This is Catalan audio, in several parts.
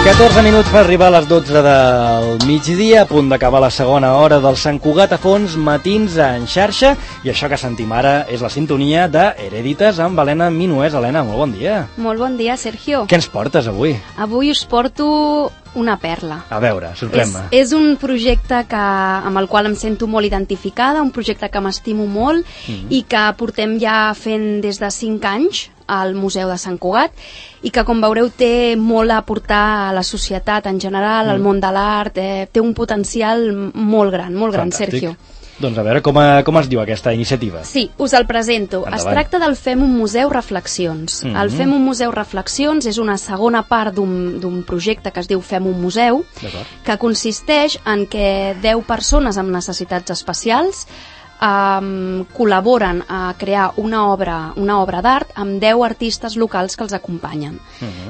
14 minuts per arribar a les 12 del migdia, a punt d'acabar la segona hora del Sant Cugat a Fons, matins en xarxa, i això que sentim ara és la sintonia de Herèdites amb Helena Minués. Helena, molt bon dia. Molt bon dia, Sergio. Què ens portes avui? Avui us porto una perla. A veure, sorprèn-me. És un projecte amb el qual em sento molt identificada, un projecte que m'estimo molt i que portem ja fent des de 5 anys al Museu de Sant Cugat i que, com veureu, té molt a aportar a la societat en general, al món de l'art, té un potencial molt gran, Fantàstic. Sergio. Doncs a veure com es diu aquesta iniciativa. Sí, us el presento. Endavant. Es tracta del Fem un Museu Reflexions. El Fem un Museu Reflexions és una segona part d'un projecte que es diu Fem un Museu, que consisteix en que 10 persones amb necessitats especials col·laboren a crear una obra d'art amb 10 artistes locals que els acompanyen.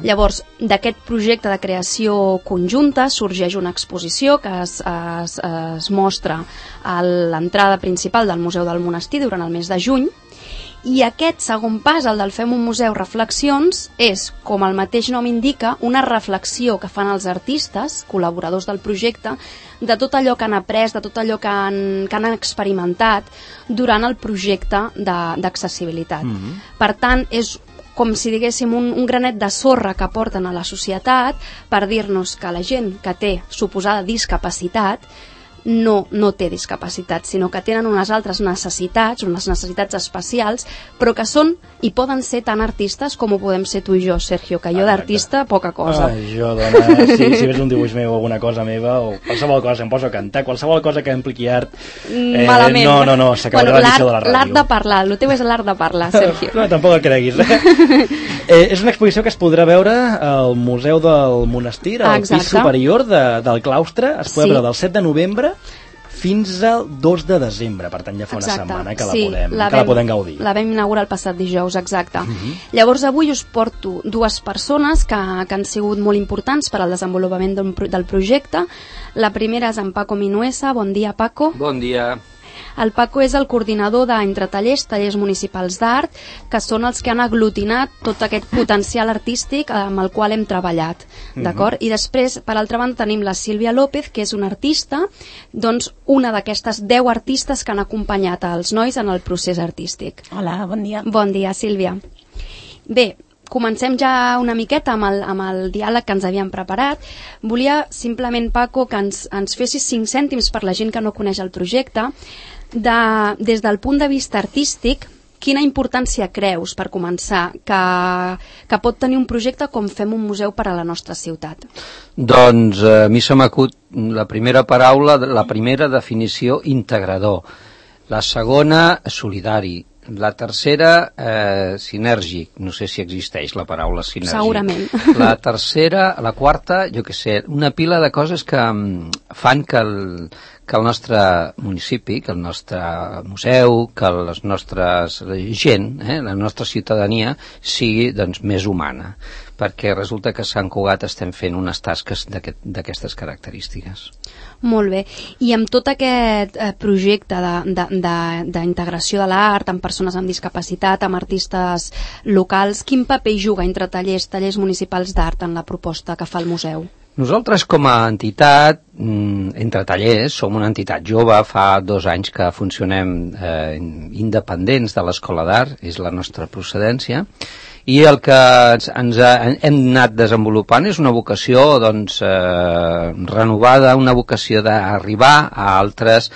Llavors, d'aquest projecte de creació conjunta sorgeix una exposició que es mostra a l'entrada principal del Museu del Monestir durant el mes de juny, i aquest segon pas, el del Fem un Museu Reflexions, és, com el mateix nom indica, una reflexió que fan els artistes, col·laboradors del projecte, de tot allò que han après, de tot allò que han experimentat durant el projecte d'accessibilitat. Per tant, és com si diguéssim un granet de sorra que porten a la societat per dir-nos que la gent que té suposada discapacitat no té discapacitat, sinó que tenen unes altres necessitats, unes necessitats especials, però que són i poden ser tan artistes com ho podem ser tu i jo, Sergio, que jo d'artista poca cosa. Jo, dona, si veus un dibuix meu o alguna cosa meva, o qualsevol cosa, em poso a cantar, qualsevol cosa que impliqui art, malament. No, s'acabarà l'edició de la ràdio. L'art de parlar, el teu és l'art de parlar, Sergio. No, tampoc el creguis. És una exposició que es podrà veure al Museu del Monestir, al pis superior del claustre. Es podrà veure del 7 de novembre fins al 2 de desembre, per tant ja fa una setmana que la podem gaudir. La vam inaugurar el passat dijous, exacte. Llavors avui us porto 2 persones que han sigut molt importants per al desenvolupament del projecte. La primera és en Paco Minuesa. Bon dia, Paco. Bon dia. El Paco és el coordinador tallers municipals d'art, que són els que han aglutinat tot aquest potencial artístic amb el qual hem treballat, d'acord? I després, per altra banda, tenim la Sílvia López, que és una artista, doncs una d'aquestes 10 artistes que han acompanyat els nois en el procés artístic. Hola, bon dia. Bon dia, Sílvia. Bé, comencem ja una miqueta amb el diàleg que ens havíem preparat. Volia simplement, Paco, que ens fessis 5 cèntims per la gent que no coneix el projecte, des del punt de vista artístic, quina importància creus, per començar, que pot tenir un projecte com Fem un Museu per a la nostra ciutat? Doncs a mi se m'acut la primera paraula, la primera definició, integrador. La segona, solidari. La tercera, sinèrgic. No sé si existeix la paraula sinèrgic. Segurament. La tercera, la quarta, jo què sé, una pila de coses que fan que el nostre municipi, que el nostre museu, que les nostres gent, la nostra ciutadania, sigui doncs, més humana. Perquè resulta que a Sant Cugat estem fent unes tasques d'aquestes característiques. Molt bé. I amb tot aquest projecte d'integració de l'art amb persones amb discapacitat, amb artistes locals, quin paper juga entre tallers municipals d'art en la proposta que fa el museu? Nosaltres com a entitat, entre tallers, som una entitat jove, fa 2 anys que funcionem independents de l'Escola d'Art, és la nostra procedència, i el que hem anat desenvolupant és una vocació doncs, renovada, una vocació d'arribar a altres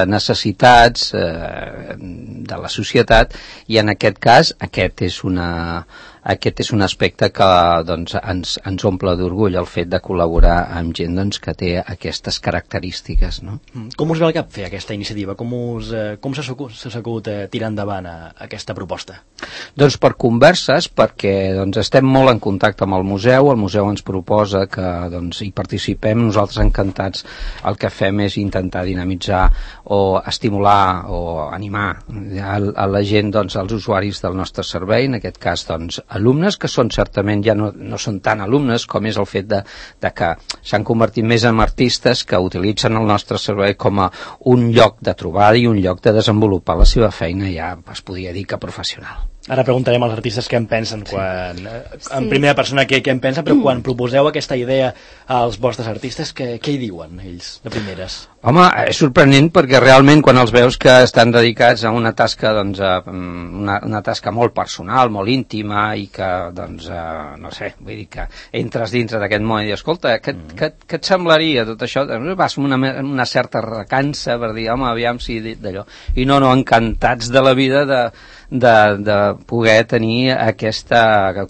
necessitats de la societat, i en aquest cas aquest és un aspecte que doncs, ens omple d'orgull, el fet de col·laborar amb gent doncs, que té aquestes característiques. No? Com us ve al cap fer aquesta iniciativa? Com s'ha sabut tirar endavant aquesta proposta? Doncs per converses, perquè doncs, estem molt en contacte amb el museu ens proposa que doncs, hi participem, nosaltres encantats. El que fem és intentar dinamitzar o estimular o animar a la gent, doncs, als usuaris del nostre servei, en aquest cas doncs, alumnes, que són certament ja no són tan alumnes com és el fet de que s'han convertit més en artistes que utilitzen el nostre servei com a un lloc de trobada i un lloc de desenvolupar la seva feina, ja es podria dir que professional. Ara preguntarem als artistes què en pensen en primera persona què en pensen, però quan proposeu aquesta idea als vostres artistes, què hi diuen ells de primeres? Home, és sorprenent perquè realment quan els veus que estan dedicats a una tasca, doncs, una tasca molt personal, molt íntima i que, doncs, no sé, vull dir que entres dintre d'aquest món i dius, escolta, què et semblaria tot això? Vas amb una certa recança per dir, home, aviam si d'allò. I no, encantats de la vida de poder tenir aquest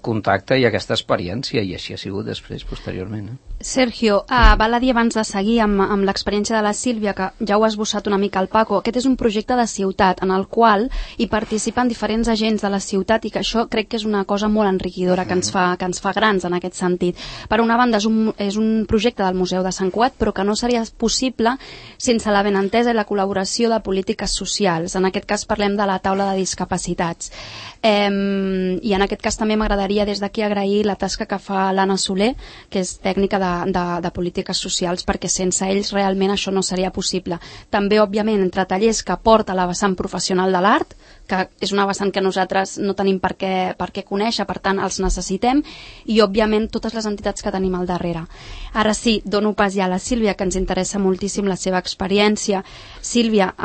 contacte i aquesta experiència, i així ha sigut després, posteriorment. Sergio, val a dir abans de seguir amb l'experiència de la Sílvia, que ja ho ha esbossat una mica el Paco, aquest és un projecte de ciutat en el qual hi participen diferents agents de la ciutat i que això crec que és una cosa molt enriquidora que ens fa grans en aquest sentit. Per una banda és un projecte del Museu de Sant Cugat, però que no seria possible sense la benentesa i la col·laboració de polítiques socials. En aquest cas parlem de la taula de discapacitats. I en aquest cas també m'agradaria des d'aquí agrair la tasca que fa l'Anna Soler, que és tècnica de polítiques socials, perquè sense ells realment això no seria possible. També, òbviament, entre tallers que aporta la vessant professional de l'art, que és una vessant que nosaltres no tenim per què conèixer, per tant els necessitem, i òbviament totes les entitats que tenim al darrere. Ara sí, dono pas ja a la Sílvia, que ens interessa moltíssim la seva experiència. Sílvia,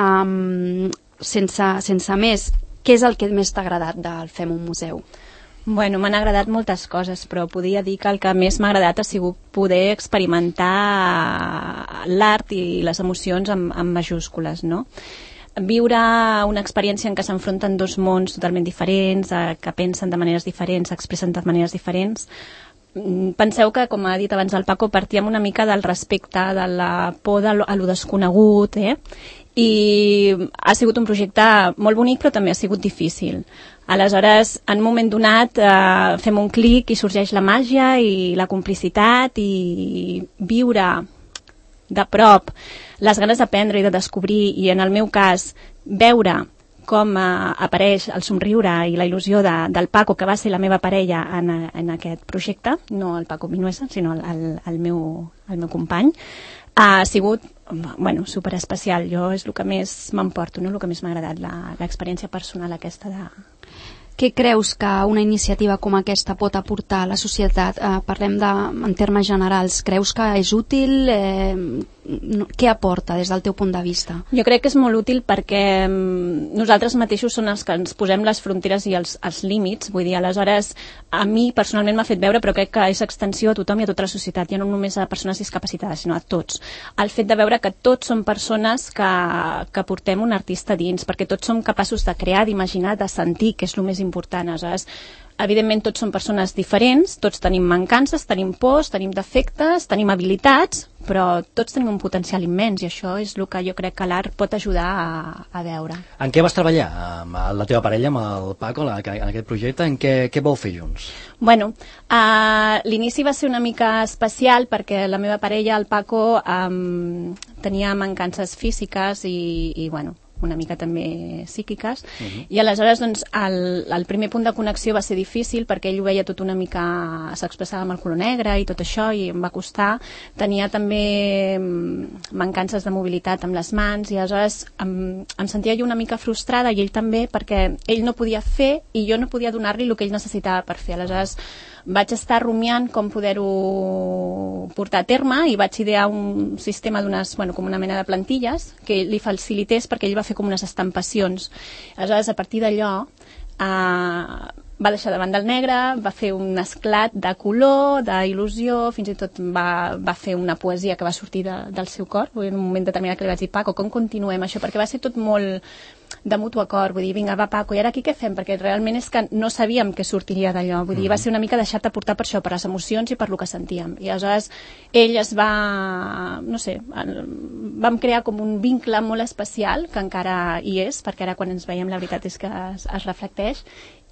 sense més, què és el que més t'ha agradat del Fem un museu? Bueno, m'han agradat moltes coses, però podria dir que el que més m'ha agradat ha sigut poder experimentar l'art i les emocions amb majúscules, no? Viure una experiència en què s'enfronten dos mons totalment diferents, que pensen de maneres diferents, expressen de maneres diferents. Penseu que, com ha dit abans el Paco, partíem una mica del respecte, de la por a lo desconegut, i ha sigut un projecte molt bonic, però també ha sigut difícil. Aleshores, en un moment donat, fem un clic i sorgeix la màgia i la complicitat i viure de prop les ganes d'aprendre i de descobrir, i en el meu cas, veure com apareix el somriure i la il·lusió del Paco, que va ser la meva parella en aquest projecte, no el Paco Minuesa, sinó el meu company, ha sigut superespecial. Jo és el que més m'emporto, el que més m'ha agradat, l'experiència personal aquesta de... Què creus que una iniciativa com aquesta pot aportar a la societat? Parlem en termes generals. Creus que és útil? Què aporta des del teu punt de vista? Jo crec que és molt útil perquè nosaltres mateixos són els que ens posem les fronteres i els límits. Vull dir, aleshores, a mi personalment m'ha fet veure, però crec que és extensió a tothom i a tota la societat, ja no només a persones discapacitades, sinó a tots. El fet de veure que tots som persones que portem un artista dins, perquè tots som capaços de crear, d'imaginar, de sentir, que és el més important. Aleshores, evidentment tots som persones diferents, tots tenim mancances, tenim pors, tenim defectes, tenim habilitats, però tots tenim un potencial immens, i això és el que jo crec que l'art pot ajudar a veure. En què vas treballar amb la teva parella, amb el Paco, en aquest projecte? En què vau fer junts? Bueno, l'inici va ser una mica especial perquè la meva parella, el Paco, tenia mancances físiques i una mica també psíquiques, i aleshores doncs, el primer punt de connexió va ser difícil perquè ell ho veia tot una mica, s'expressava amb el color negre i tot això, i em va costar. Tenia també mancances de mobilitat amb les mans, i aleshores em sentia jo una mica frustrada, i ell també, perquè ell no podia fer i jo no podia donar-li el que ell necessitava per fer. Aleshores vaig estar rumiant com poder-ho portar a terme, i vaig idear un sistema com una mena de plantilles que li facilités, perquè ell va fer com unes estampacions. Aleshores, a partir d'allò, va deixar de banda el negre, va fer un esclat de color, d'il·lusió, fins i tot va fer una poesia que va sortir del seu cor. En un moment determinat que li vaig dir, Paco, com continuem això? Perquè va ser tot molt de mutu acord, vull dir, vinga, va Paco, i ara aquí què fem? Perquè realment és que no sabíem què sortiria d'allò, vull dir, va ser una mica deixar-te portar per això, per les emocions i per lo que sentíem. I aleshores ell es va, no sé, vam crear com un vincle molt especial, que encara hi és, perquè ara quan ens veiem la veritat és que es reflecteix,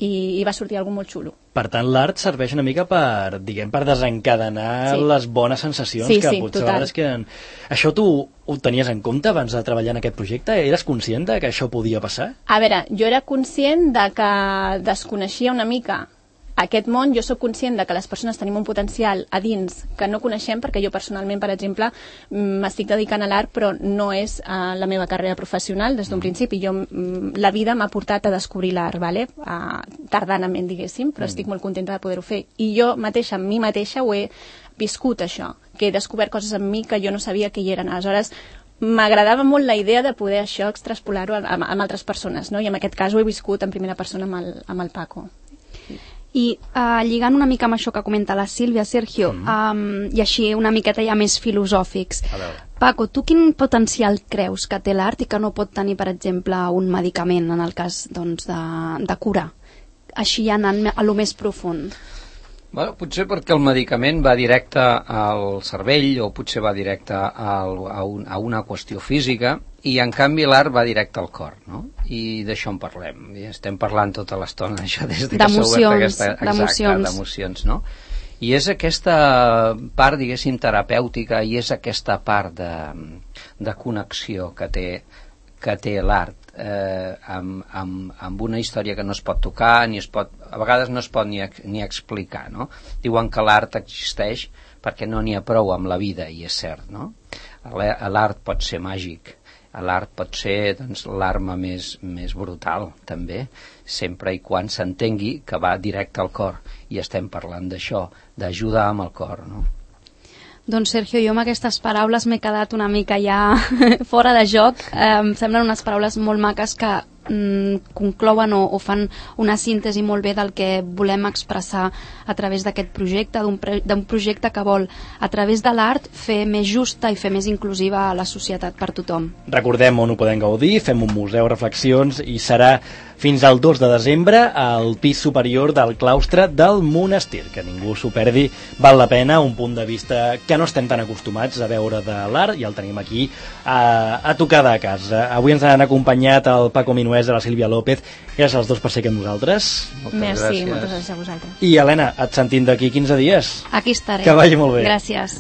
i va sortir alguna molt xulo. Per tant, l'art serveix una mica per desencadenar les bones sensacions que potser a vegades queden... Això tu ho tenies en compte abans de treballar en aquest projecte? Eres conscient que això podia passar? A veure, jo era conscient de que desconeixia una mica aquest món, jo sóc conscient de que les persones tenim un potencial a dins que no coneixem, perquè jo personalment, per exemple, m'estic dedicant a l'art, però no és la meva carrera professional des d'un principi. La vida m'ha portat a descobrir l'art, vale? Tardanament, diguéssim, però estic molt contenta de poder-ho fer. I jo mateixa, amb mi mateixa, ho he viscut, això, que he descobert coses en mi que jo no sabia que hi eren. Aleshores, m'agradava molt la idea de poder això extrapolar-ho amb altres persones, no? I en aquest cas ho he viscut en primera persona amb el Paco. I lligant una mica amb això que comenta la Sílvia, Sergio, i així una miqueta ja més filosòfics. Paco, tu quin potencial creus que té l'art i que no pot tenir, per exemple, un medicament en el cas de curar? Així ja anant a lo més profund. Bueno, potser perquè el medicament va directe al cervell o potser va directe a una qüestió física i en canvi l'art va directe al cor, no? I d'això en parlem. I estem parlant tota l'estona d'això des que s'ha obert aquesta... Exacte, d'emocions, no? I és aquesta part, diguéssim, terapèutica i és aquesta part de connexió que té l'art amb una història que no es pot tocar, a vegades no es pot ni explicar, no? Diuen que l'art existeix perquè no n'hi ha prou amb la vida, i és cert, no? L'art pot ser màgic, l'art pot ser l'arma més brutal, també, sempre i quan s'entengui que va directe al cor, i estem parlant d'això, d'ajudar amb el cor, no? Doncs Sergio, jo amb aquestes paraules m'he quedat una mica ja fora de joc. Em semblen unes paraules molt maques que conclouen o fan una síntesi molt bé del que volem expressar a través d'aquest projecte, d'un projecte que vol, a través de l'art, fer més justa i fer més inclusiva a la societat per tothom. Recordem on ho podem gaudir, fem un museu, reflexions, i serà fins al 2 de desembre al pis superior del claustre del monestir. Que ningú s'ho perdi, val la pena, un punt de vista que no estem tan acostumats a veure de l'art, i el tenim aquí a tocar de casa. Avui ens han acompanyat el Paco Minués i la Sílvia López. Gràcies als dos per ser aquí amb nosaltres. Merci, moltes gràcies a vosaltres. I Helena, et sentim d'aquí 15 dies. Aquí estaré. Que vagi molt bé. Gràcies.